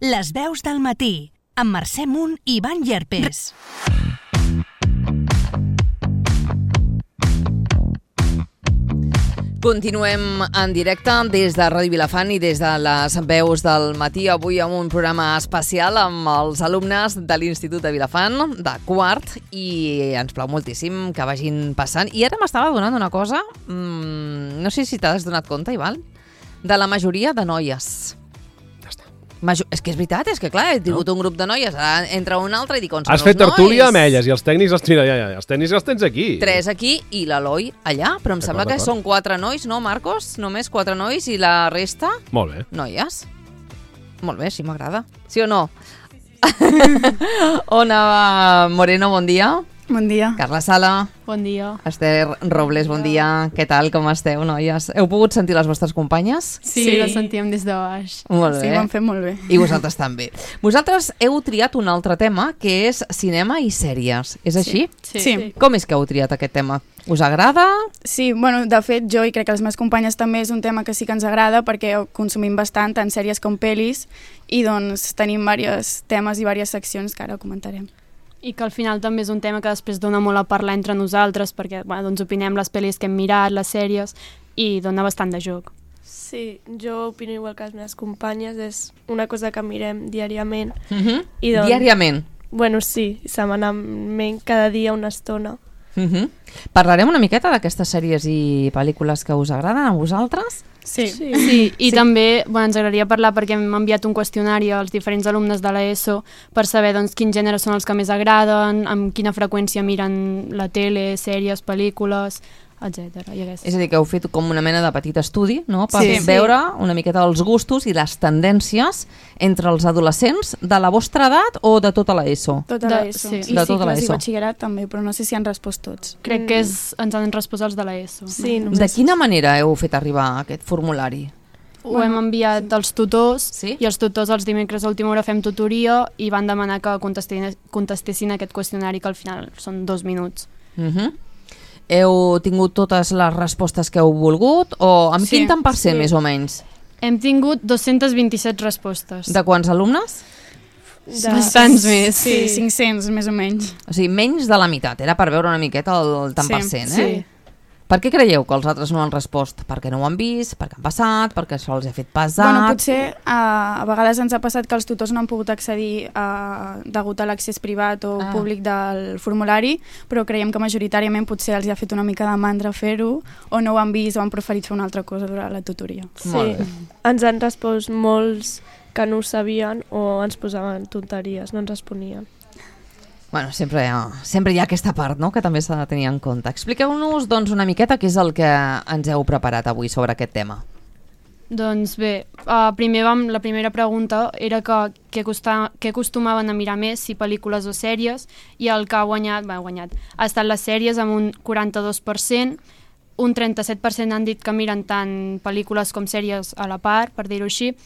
Les veus del matí, amb Mercè Munt i Ivan Llerpes. Continuem en directe des de Ràdio Vilafant i des de les veus del matí. Avui amb un programa especial amb els alumnes de l'Institut de Vilafant, de quart, i ens plau moltíssim que vagin passant. I ara m'estava donant una cosa, no sé si t'has donat compte, Ivan, de la majoria de noies. És que és veritat, és que clar, he tingut un grup de noies, ara entra un altre i dic on són els nois. Has fet tertúlia amb elles i els tècnics els tècnics els tens aquí. 3 aquí i l'Eloi allà, però em sembla que són 4 nois, no, Marcos? Només 4 nois i la resta? Molt bé. Noies? Molt bé, sí, m'agrada. Sí o no? Ona Moreno, bon dia. Bon dia. Carla Sala. Bon dia. Esther Robles, bon dia. Què tal, com esteu, noies? Heu pogut sentir les vostres companyes? Sí, les sentíem des de baix. Molt bé. Sí, ho han fet molt bé. I vosaltres també. Vosaltres heu triat un altre tema, que és cinema i sèries. És així? Sí. Com és que heu triat aquest tema? Us agrada? Sí, bueno, de fet, jo i crec que les meves companyes també és un tema que sí que ens agrada perquè consumim bastant, tant sèries com pel·lis, i doncs tenim diversos temes i diverses seccions que ara comentarem. I que al final també és un tema que després dona molt a parlar entre nosaltres perquè doncs opinem les pel·lis que hem mirat, les sèries, i dona bastant de joc. Sí, jo opino igual que les meves companyes, és una cosa que mirem diàriament. I doncs, diàriament? Bueno, sí, setmanalment, cada dia una estona. Parlarem una miqueta d'aquestes sèries i pel·lícules que us agraden a vosaltres? Sí. I també ens agradaria parlar perquè hem enviat un qüestionari als diferents alumnes de l'ESO per saber doncs, quins gèneres són els que més agraden, amb quina freqüència miren la tele, sèries, pel·lícules, etc. És a dir, que heu fet com una mena de petit estudi, no? Per veure una miqueta els gustos i les tendències entre els adolescents de la vostra edat o de tota l'ESO? Tota l'ESO. Sí. I cicles i batxillerat també, però no sé si han respost tots. Crec que ens han respost els de l'ESO. Sí, de quina manera heu fet arribar aquest formulari? Ho hem enviat als tutors, sí? I els tutors els dimecres a última hora fem tutoria i van demanar que contestessin aquest qüestionari, que al final són 2 minuts. Heu tingut totes les respostes que heu volgut o amb quin tant per cent, més o menys? Hem tingut 227 respostes. De quants alumnes? Bastants més. Sí, 500 més o menys. O sigui, menys de la meitat, era per veure una miqueta el tant per cent, eh? Sí. Per què creieu que els altres no han respost? Perquè no ho han vist, perquè han passat, perquè això els ha fet pesat? Bueno, potser a vegades ens ha passat que els tutors no han pogut accedir degut a l'accés privat o públic del formulari, però creiem que majoritàriament potser els ha fet una mica de mandra fer-ho o no ho han vist o han preferit fer una altra cosa durant la tutoria. Sí, ens han respost molts que no ho sabien o ens posaven tonteries, no ens responien. Bueno, sempre hi ha aquesta part, no?, que també s'ha de tenir en compte. Expliqueu-nos, doncs, una miqueta què és el que ens heu preparat avui sobre aquest tema. Doncs bé, primer la primera pregunta era què acostumaven a mirar més, si pel·lícules o sèries, i el que ha guanyat ha estat les sèries amb un 42%, un 37% han dit que miren tant pel·lícules com sèries a la part, per dir-ho així,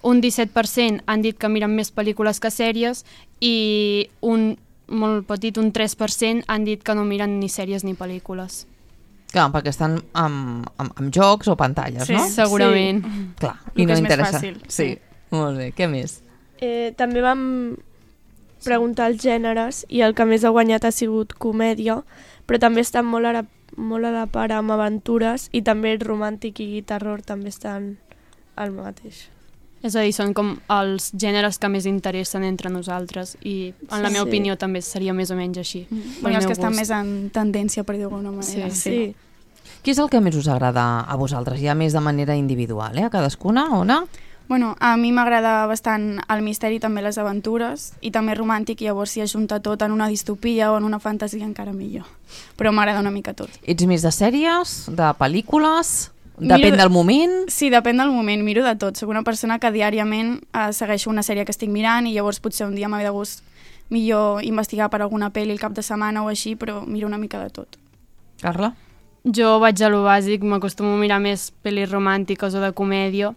un 17% han dit que miren més pel·lícules que sèries i un molt petit, un 3% han dit que no miren ni sèries ni pel·lícules. Clar, perquè estan amb jocs o pantalles, no? Sí, segurament. Clar, i no interessa. Més fàcil. Sí, molt bé. Què més? També vam preguntar els gèneres i el que més ha guanyat ha sigut comèdia, però també estan molt a la part amb aventures i també el romàntic i terror també estan al mateix. És a dir, són com els gèneres que més interessen entre nosaltres i en la meva opinió també seria més o menys així. Bueno, els que estan més en tendència, per dir-ho d'alguna manera. Sí. Què és el que més us agrada a vosaltres? Ja més de manera individual, a cadascuna, Ona? Bueno, a mi m'agrada bastant el misteri, també les aventures, i també romàntic, i llavors si ajunta tot en una distopia o en una fantasia encara millor. Però m'agrada una mica tot. Ets més de sèries, de pel·lícules? Depèn del moment? Sí, depèn del moment, miro de tot. Soc una persona que diàriament segueixo una sèrie que estic mirant i llavors potser un dia m'ha de gust millor investigar per alguna pel·li el cap de setmana o així, però miro una mica de tot. Carla? Jo vaig a lo bàsic, m'acostumo a mirar més pel·lis romàntiques o de comèdia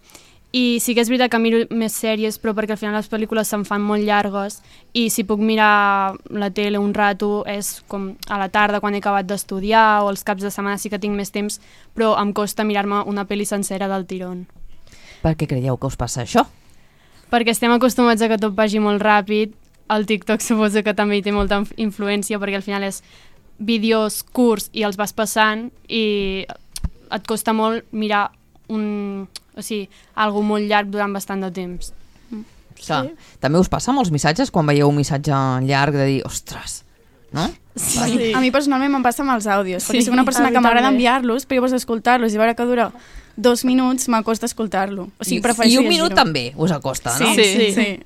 i sí que és veritat que miro més sèries, però perquè al final les pel·lícules se'n fan molt llargues i si puc mirar la tele un rato és com a la tarda quan he acabat d'estudiar o els caps de setmana sí que tinc més temps, però em costa mirar-me una pel·li sencera del tirón. Per què creieu que us passa això? perquè estem acostumats a que tot vagi molt ràpid. El TikTok suposo que també hi té molta influència perquè al final és vídeos curts i els vas passant i et costa molt mirar algo molt llarg durant bastant de temps. Clar. També us passa molts missatges quan veieu un missatge llarg de dir, ostres, no? Sí. A mi personalment me'n passa amb els àudios, perquè soc una a persona mi que m'agrada també. enviar-los, però llavors escoltar-los i veure que dura 2 minuts m'acosta escoltar-lo. O sigui, I un minut també us acosta, no? Sí.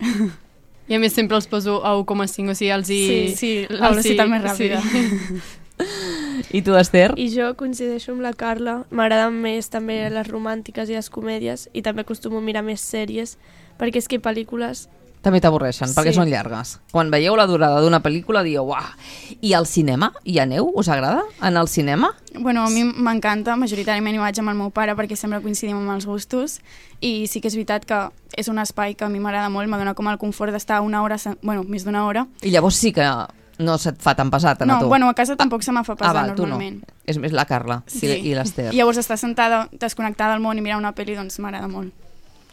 I a més sempre els poso a 1,5, o sigui, Sí, la velocitat més ràpida. Sí. I tu, Esther? I jo coincideixo amb la Carla. M'agraden més també les romàntiques i les comèdies i també acostumo a mirar més sèries perquè és que pel·lícules... També t'avorreixen, perquè Sí. són llargues. Quan veieu la durada d'una pel·lícula dieu, uah. I al cinema? Hi aneu? Us agrada anar al cinema? Bueno, a mi m'encanta, majoritàriament hi vaig amb el meu pare perquè sempre coincidim amb els gustos i sí que és veritat que és un espai que a mi m'agrada molt, m'adona com el confort d'estar una hora, més d'una hora. I llavors sí que no se't fa tan pesat anar No, tu. bueno, a casa tampoc se me fa pesar val, normalment. Tu no. És més la Carla i l'Esther. I llavors estar sentada, desconnectada del món i mirar una pel·li, doncs m'agrada molt.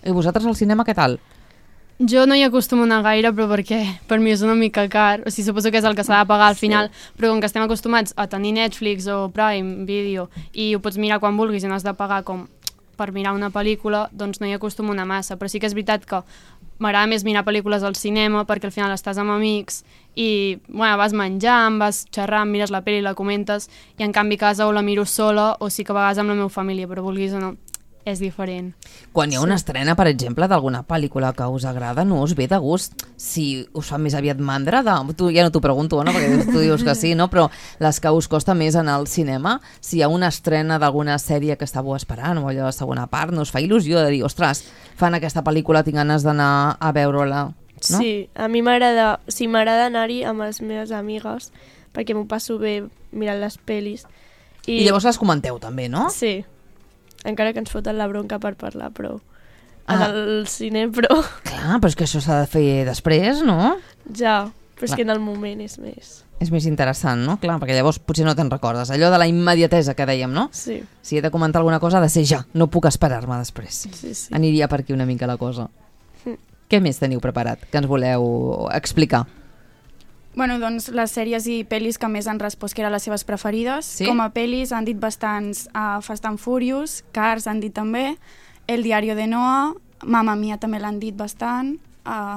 I vosaltres al cinema què tal? Jo no hi acostumo a anar gaire, però perquè per mi és una mica car. O sigui, suposo que és el que s'ha de pagar al final, però com que estem acostumats a tenir Netflix o Prime Video i ho pots mirar quan vulguis i no has de pagar com per mirar una pel·lícula, doncs no hi acostumo a anar massa. Però sí que és veritat que m'agrada més mirar pel·lícules al cinema perquè al final estàs amb amics i vas menjant, vas xerrant, mires la pel·li, la comentes, i en canvi a casa o la miro sola o sí que a vegades amb la meva família, però vulguis o no, és diferent. Quan hi ha una estrena, per exemple, d'alguna pel·lícula que us agrada, no us ve de gust? Si us fa més aviat mandra, tu ja no t'ho pregunto, no? Perquè tu dius que sí, no? Però les que us costa més anar al cinema, si hi ha una estrena d'alguna sèrie que estàveu esperant o allò de segona part, no us fa il·lusió de dir, ostres, fan aquesta pel·lícula, tinc ganes d'anar a veure-la, no? Sí, a mi m'agrada anar-hi amb les meves amigues perquè m'ho passo bé mirant les pel·lis. I llavors les comenteu també, no? Sí, encara que ens foten la bronca per parlar, però al cine, però... Clar, però és que això s'ha de fer després, no? Ja, però és que en el moment és més... És més interessant, no? Clar, perquè llavors potser no te'n recordes. Allò de la immediatesa que dèiem, no? Sí. Si he de comentar alguna cosa ha de ser ja, no puc esperar-me després. Sí. Aniria per aquí una mica la cosa. Què més teniu preparat que ens voleu explicar? Bueno, doncs les sèries i pel·lis que més han respost que eren les seves preferides. Sí? Com a pel·lis han dit bastants Fast and Furious, Cars han dit també, El diario de Noah, Mamma Mia també l'han dit bastant,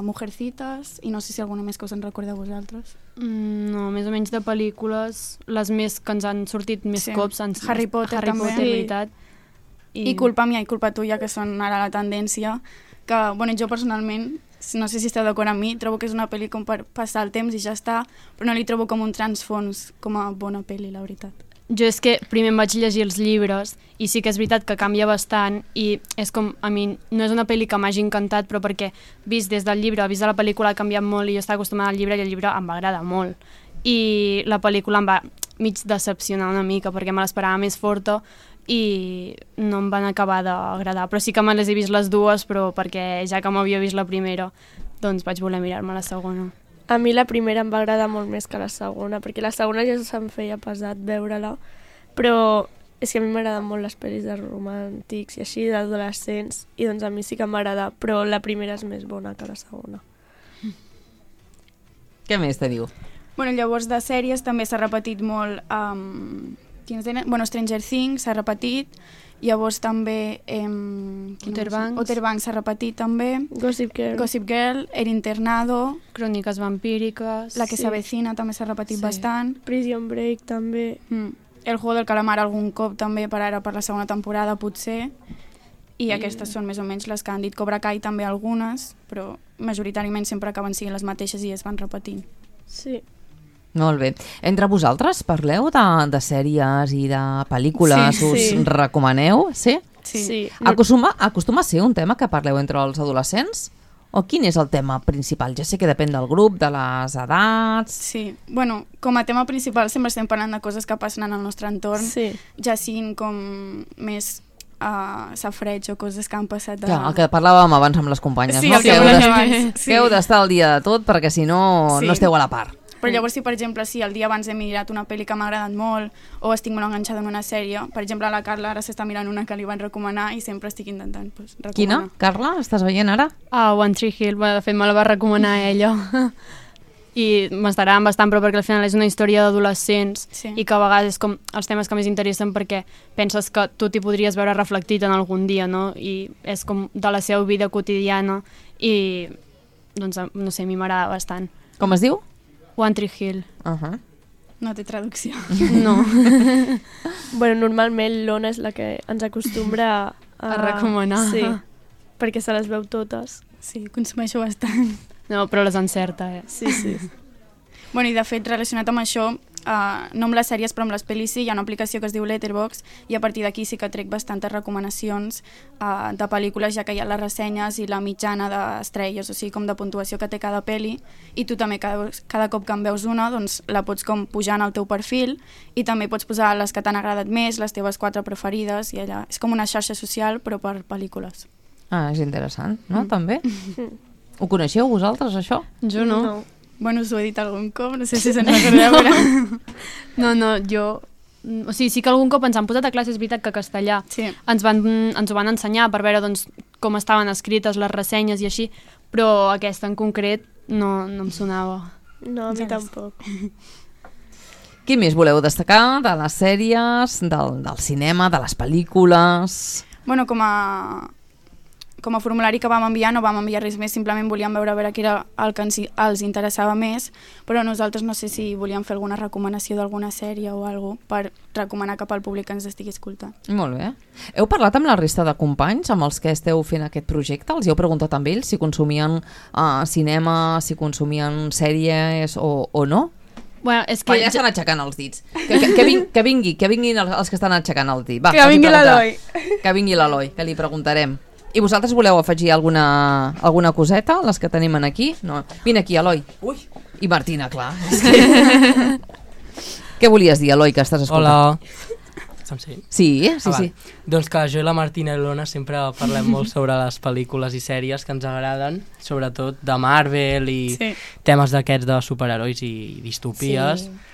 Mujercitas, i no sé si alguna més que us en recordeu vosaltres. No, més o menys de pel·lícules, les més que ens han sortit més cops han Harry Potter també. Potter, veritat. I Culpa Mia i Culpa Tuya, que són ara la tendència, que bueno, jo personalment, no sé si esteu d'acord amb mi, trobo que és una pel·li com per passar el temps i ja està, però no li trobo com un transfons, com a bona pel·li, la veritat. Jo és que primer em vaig llegir els llibres i sí que és veritat que canvia bastant i és com, a mi no és una pel·li que m'hagi encantat, però perquè vist des del llibre, vist de la pel·lícula ha canviat molt i jo estava acostumada al llibre i el llibre em va agradar molt. I la pel·lícula em va mig decepcionar una mica perquè me l'esperava més forta i no em van acabar d'agradar, però sí que me les he vist les dues, però perquè ja que m'havia vist la primera, doncs vaig voler mirar-me la segona. A mi la primera em va agradar molt més que la segona, perquè la segona ja se'm feia pesat veure-la, però és que a mi m'agraden molt les pel·lis de romàntics i així, d'adolescents, i doncs a mi sí que m'agrada, però la primera és més bona que la segona. Què més te diu? Bueno, llavors de sèries també s'ha repetit molt Stranger Things s'ha repetit, llavors també Outer Banks s'ha repetit també, Gossip Girl, El Internado, Cròniques vampíriques, La que s'avecina també s'ha repetit bastant, Prison Break també, El juego del calamar algun cop també per ara per la segona temporada potser, i aquestes són més o menys les que han dit. Cobra Kai també algunes, però majoritàriament sempre acaben sent les mateixes i es van repetint. Sí. Molt bé. Entre vosaltres parleu de sèries i de pel·lícules, us recomaneu? Sí? Sí. Acostuma a ser un tema que parleu entre els adolescents? O quin és el tema principal? Ja sé que depèn del grup, de les edats... Sí, bueno, com a tema principal sempre estem parlant de coses que passen en el nostre entorn, ja siguin com més safreig o coses que han passat... Clar, el que parlàvem abans amb les companyes, sí, no? Que heu d'estar al dia de tot perquè si no, no esteu a la part. Però llavors, si per exemple, si el dia abans he mirat una pel·li que m'ha agradat molt o estic molt enganxada en una sèrie, per exemple, la Carla ara s'està mirant una que li van recomanar i sempre estic intentant recomanar. Quina? Carla, estàs veient ara? One Tree Hill, de fet me la va recomanar ella. I m'estarà bastant, però perquè al final és una història d'adolescents i que a vegades és com els temes que més interessen perquè penses que tu t'hi podries veure reflectit en algun dia, no? I és com de la seva vida quotidiana i, doncs, no sé, a mi m'agrada bastant. Com es diu? One Tree Hill. No té traducció. No. Bueno, normalment l'Ona és la que ens acostumbra a recomanar. Sí, perquè se les veu totes. Sí, consumeixo bastant. No, però les encerta, Sí, sí. Bueno, i de fet, relacionat amb això, no amb les sèries però amb les pel·lis sí, hi ha una aplicació que es diu Letterboxd i a partir d'aquí sí que trec bastantes recomanacions de pel·lícules, ja que hi ha les ressenyes i la mitjana d'estrelles, o sigui, com de puntuació que té cada pel·li, i tu també cada cop que en veus una, doncs la pots com pujar en el teu perfil i també pots posar les que t'han agradat més, les teves 4 preferides, i allà és com una xarxa social però per pel·lícules. És interessant, no? També? Ho coneixeu vosaltres, això? Jo no. Bueno, us ho he dit algun cop, no sé si se'n recordeu. No, jo... O sigui, sí que algun cop ens han posat a classe, és veritat que castellà. Sí. Ens ho van ensenyar per veure doncs, com estaven escrites les ressenyes i així, però aquesta en concret no em sonava. No, a mi tampoc. Què més voleu destacar de les sèries, del cinema, de les pel·lícules? Bueno, com a formulari que vam enviar no vam enviar res més, simplement volíem veure què era el que els interessava més, però nosaltres no sé si volíem fer alguna recomanació d'alguna sèrie o alguna cosa per recomanar cap al públic que ens estigui escoltant. Molt bé. Heu parlat amb la resta de companys amb els que esteu fent aquest projecte? Els heu preguntat amb ells si consumien cinema, si consumien sèries o no? Bueno, és que... Ja estan aixecant els dits. Que vinguin els que estan aixecant el dit. Va, que vingui l'Eloi. Que vingui l'Eloi, que li preguntarem. I vosaltres voleu afegir alguna coseta, les que tenim aquí? No. Vine aquí, Eloi. Ui. I Martina, clar. Què volies dir, Eloi, que estàs escoltant? Hola. Se'm sent? Sí. Doncs que jo i la Martina i l'Ona sempre parlem molt sobre les pel·lícules i sèries que ens agraden, sobretot de Marvel i temes d'aquests de superherois i distopies. Sí.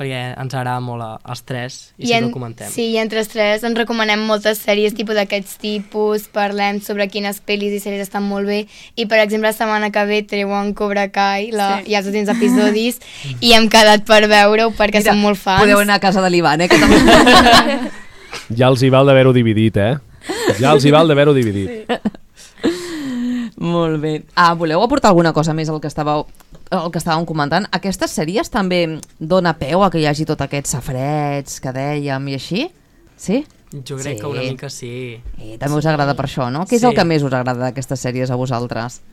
Perquè ens agrada molt als tres i sempre ho comentem. Sí, i entre els tres ens recomanem moltes sèries d'aquests tipus, parlem sobre quines pel·lis i sèries estan molt bé i per exemple la setmana que ve treuen Cobra Kai i els últims episodis i hem quedat per veure-ho perquè som molt fans. Podeu anar a casa de l'Ivan, que també... Ja els hi val d'haver-ho dividit, Ja els hi val d'haver-ho dividit. Sí. Molt bé. Voleu aportar alguna cosa més al que estàvem comentant? Aquestes sèries també dona peu a que hi hagi tot aquests safarets que dèiem i així? Sí? Jo crec que una mica sí. També us agrada per això, no? Què és el que més us agrada d'aquestes sèries a vosaltres?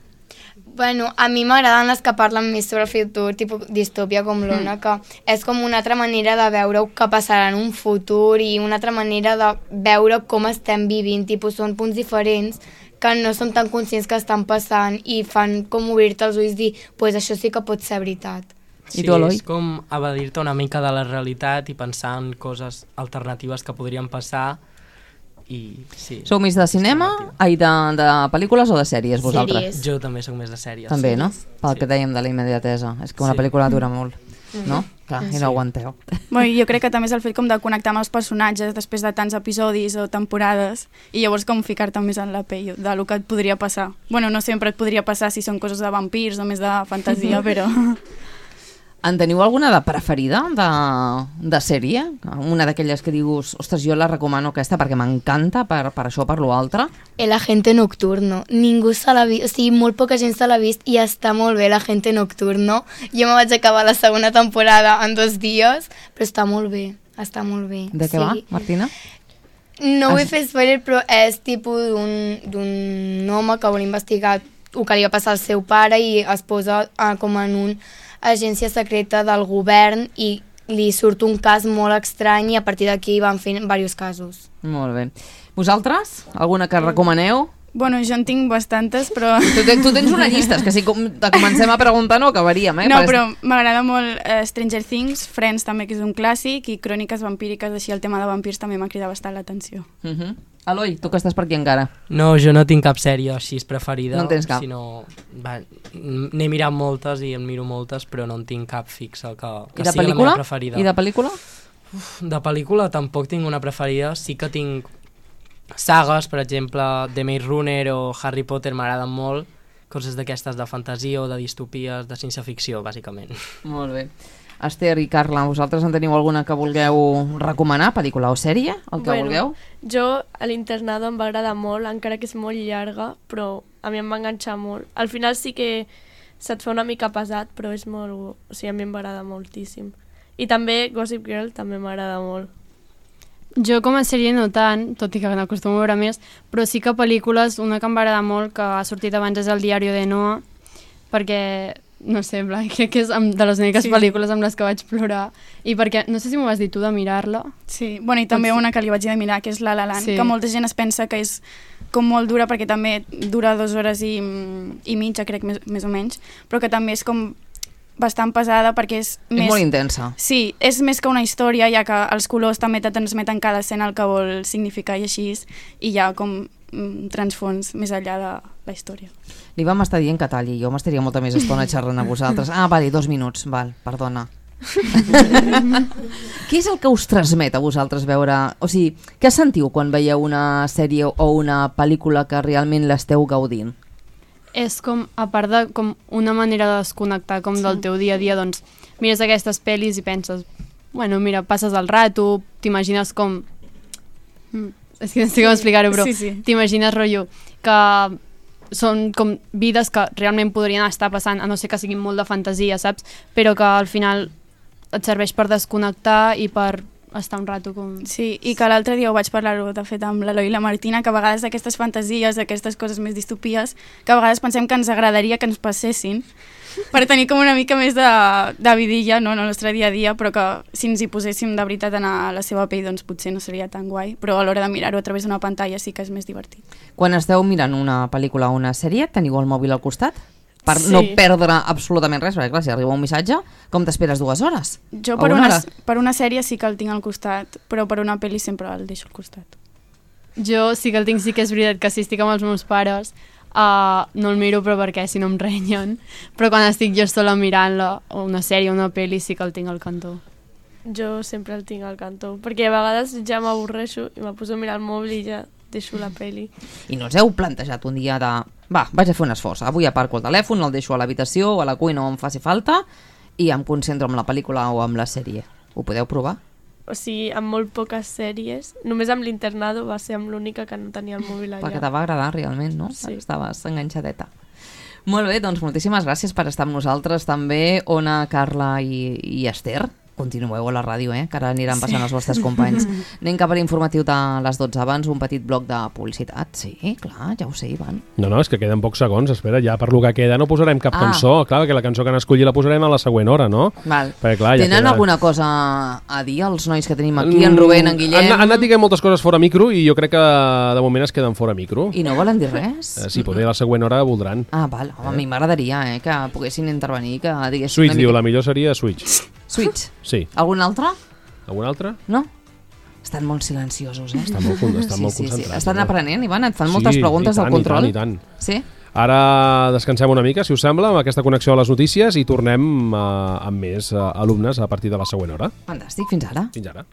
Bueno, a mi m'agraden les que parlen més sobre el futur, tipus distòpia com l'Ona, que és com una altra manera de veure què passarà en un futur i una altra manera de veure com estem vivint, tipus són punts diferents que no som tan conscients que estan passant i fan com obrir-te els ulls i dir, pues això sí que pot ser veritat. Sí, és com evadir-te una mica de la realitat i pensar en coses alternatives que podrien passar. I sí. Sou més de cinema, de pel·lícules o de sèries vosaltres? Sèries. Jo també soc més de sèries. També, no? Pel que dèiem de la immediatesa. És que una pel·lícula dura molt, no? Clar, i no aguanteu. Bueno, jo crec que també és el fet com de connectar amb els personatges després de tants episodis o temporades i llavors com ficar-te més en la pell del que et podria passar. Bueno, no sempre et podria passar si són coses de vampirs o més de fantasia, però... En teniu alguna de preferida de sèrie? Una d'aquelles que dius, ostres, jo la recomano aquesta perquè m'encanta per això o per l'altre? El Agente Nocturno. Ningú se l'ha vist, o sigui, molt poca gent se l'ha vist i està molt bé El Agente Nocturno. Jo me vaig acabar la segona temporada en 2 dies, però està molt bé, està molt bé. De què va, Martina? No vull fer spoiler, però és tipus d'un home que vol investigar el que li va passar al seu pare i es posa com en una agència secreta del govern i li surt un cas molt estrany i a partir d'aquí van fent diversos casos. Molt bé. Vosaltres? Alguna que recomaneu? Bueno, jo en tinc bastantes, però... Tu tens una llista, és que si te comencem a preguntar no acabaríem, No, però m'agrada molt Stranger Things, Friends també, que és un clàssic, i Cròniques vampíriques, així el tema de vampirs també m'ha cridat bastant l'atenció. Eloi, tu que estàs per aquí encara. No, jo no tinc cap sèrie així preferida. No en tens cap? N'he mirat moltes i en miro moltes, però no en tinc cap fixa que la sigui meva preferida. I de pel·lícula? De pel·lícula tampoc tinc una preferida, sí que tinc sagues, per exemple, The Maze Runner o Harry Potter m'agraden molt, coses d'aquestes de fantasia o de distopies, de ciència-ficció, bàsicament. Molt bé. Esther i Carla, vosaltres en teniu alguna que vulgueu recomanar, pel·lícula o sèrie, el que vulgueu? Jo a l'Internado em va agradar molt, encara que és molt llarga, però a mi em va enganxar molt. Al final sí que se't fa una mica pesat, però és molt... O sigui, a mi em va agradar moltíssim. I també Gossip Girl també m'agrada molt. Jo com a sèrie no tant, tot i que n'acostumo a veure més, però sí que pel·lícules, una que em va agradar molt, que ha sortit abans, és El diario de Noah, perquè, no sé, crec que és de les úniques pel·lícules amb les que vaig plorar, i perquè, no sé si m'ho vas dir tu de mirar-la. Sí, bueno, i també una que li vaig dir de mirar, que és La La Land, que molta gent es pensa que és com molt dura, perquè també dura 2 hores i mitja, crec, més o menys, però que també és com bastant pesada perquè és més... És molt intensa. Sí, és més que una història, ja que els colors també te transmeten cada escena el que vol significar i així, i hi ha com transfons més enllà de la història. Li vam estar dient que talli, jo m'estaria molta més estona xerrant a vosaltres. Vale, 2 minuts, perdona. Què és el que us transmet a vosaltres veure... O sigui, què sentiu quan veieu una sèrie o una pel·lícula que realment l'esteu gaudint? És com, a part de com una manera de desconnectar com del teu dia a dia, doncs mires aquestes pel·lis i penses, bueno, mira, passes el rato, t'imagines com... És que no sé com explicar-ho, però t'imagines, rotllo, que són com vides que realment podrien estar passant, a no ser que siguin molt de fantasia, saps? Però que al final et serveix per desconnectar i per estar un rato com... Sí, i que l'altre dia ho vaig parlar-ho, de fet, amb l'Eloi i la Martina, que a vegades aquestes fantasies, aquestes coses més distopies, que a vegades pensem que ens agradaria que ens passessin, per tenir com una mica més de vidilla, no, en el nostre dia a dia, però que si ens hi poséssim de veritat a la seva pell, doncs potser no seria tan guai, però a l'hora de mirar-ho a través d'una pantalla sí que és més divertit. Quan esteu mirant una pel·lícula o una sèrie, teniu el mòbil al costat? Per no perdre absolutament res, perquè clar, si arriba un missatge, com t'esperes 2 hores? Jo per una sèrie sí que el tinc al costat, però per una pel·li sempre el deixo al costat. Jo sí que el tinc, sí que és veritat que si estic amb els meus pares no el miro, però perquè si no em renyen, però quan estic jo sola mirant-la, o una sèrie o una pel·li, sí que el tinc al cantó. Jo sempre el tinc al cantó, perquè a vegades ja m'avorreixo i me poso a mirar el mòbil i ja deixo la pel·li. I no us heu plantejat un dia de... vaig a fer un esforç, avui aparco el telèfon, el deixo a l'habitació o a la cuina on em faci falta i em concentro en la pel·lícula o amb la sèrie. Ho podeu provar? O sigui, amb molt poques sèries, només amb l'Internado va ser amb l'única que no tenia el mòbil allà. Perquè te va agradar realment, no? Sí. Estaves enganxadeta. Molt bé, doncs moltíssimes gràcies per estar amb nosaltres també, Ona, Carla i Esther. Continueu a la ràdio, que ara aniran passant els vostres companys. Anem cap a l'informatiu de les 12 abans, un petit bloc de publicitat. Sí, clar, ja ho sé, Ivan. No, és que queden pocs segons. Espera, ja per lo que queda no posarem cap cançó. Clar, que la cançó que han escollit la posarem a la següent hora, no? Val. Perquè, clar, tenen alguna cosa a dir els nois que tenim aquí, en Rubén, en Guillem? Han anat dient moltes coses fora micro i jo crec que de moment es queden fora micro. I no volen dir res? Sí, potser a la següent hora voldran. Val. A mi m'agradaria que poguessin intervenir, que diguessin... Switch, diu, la millor seria Switch. Switch? Sí. Algun altre? Algun altre? No? Estan molt silenciosos, Estan molt concentrats. Sí. Estan aprenent, Ivan? Et fan moltes preguntes del control? I tant. Sí? Ara descansem una mica, si us sembla, amb aquesta connexió a les notícies i tornem amb més alumnes a partir de la següent hora. Fantàstic, fins ara. Fins ara.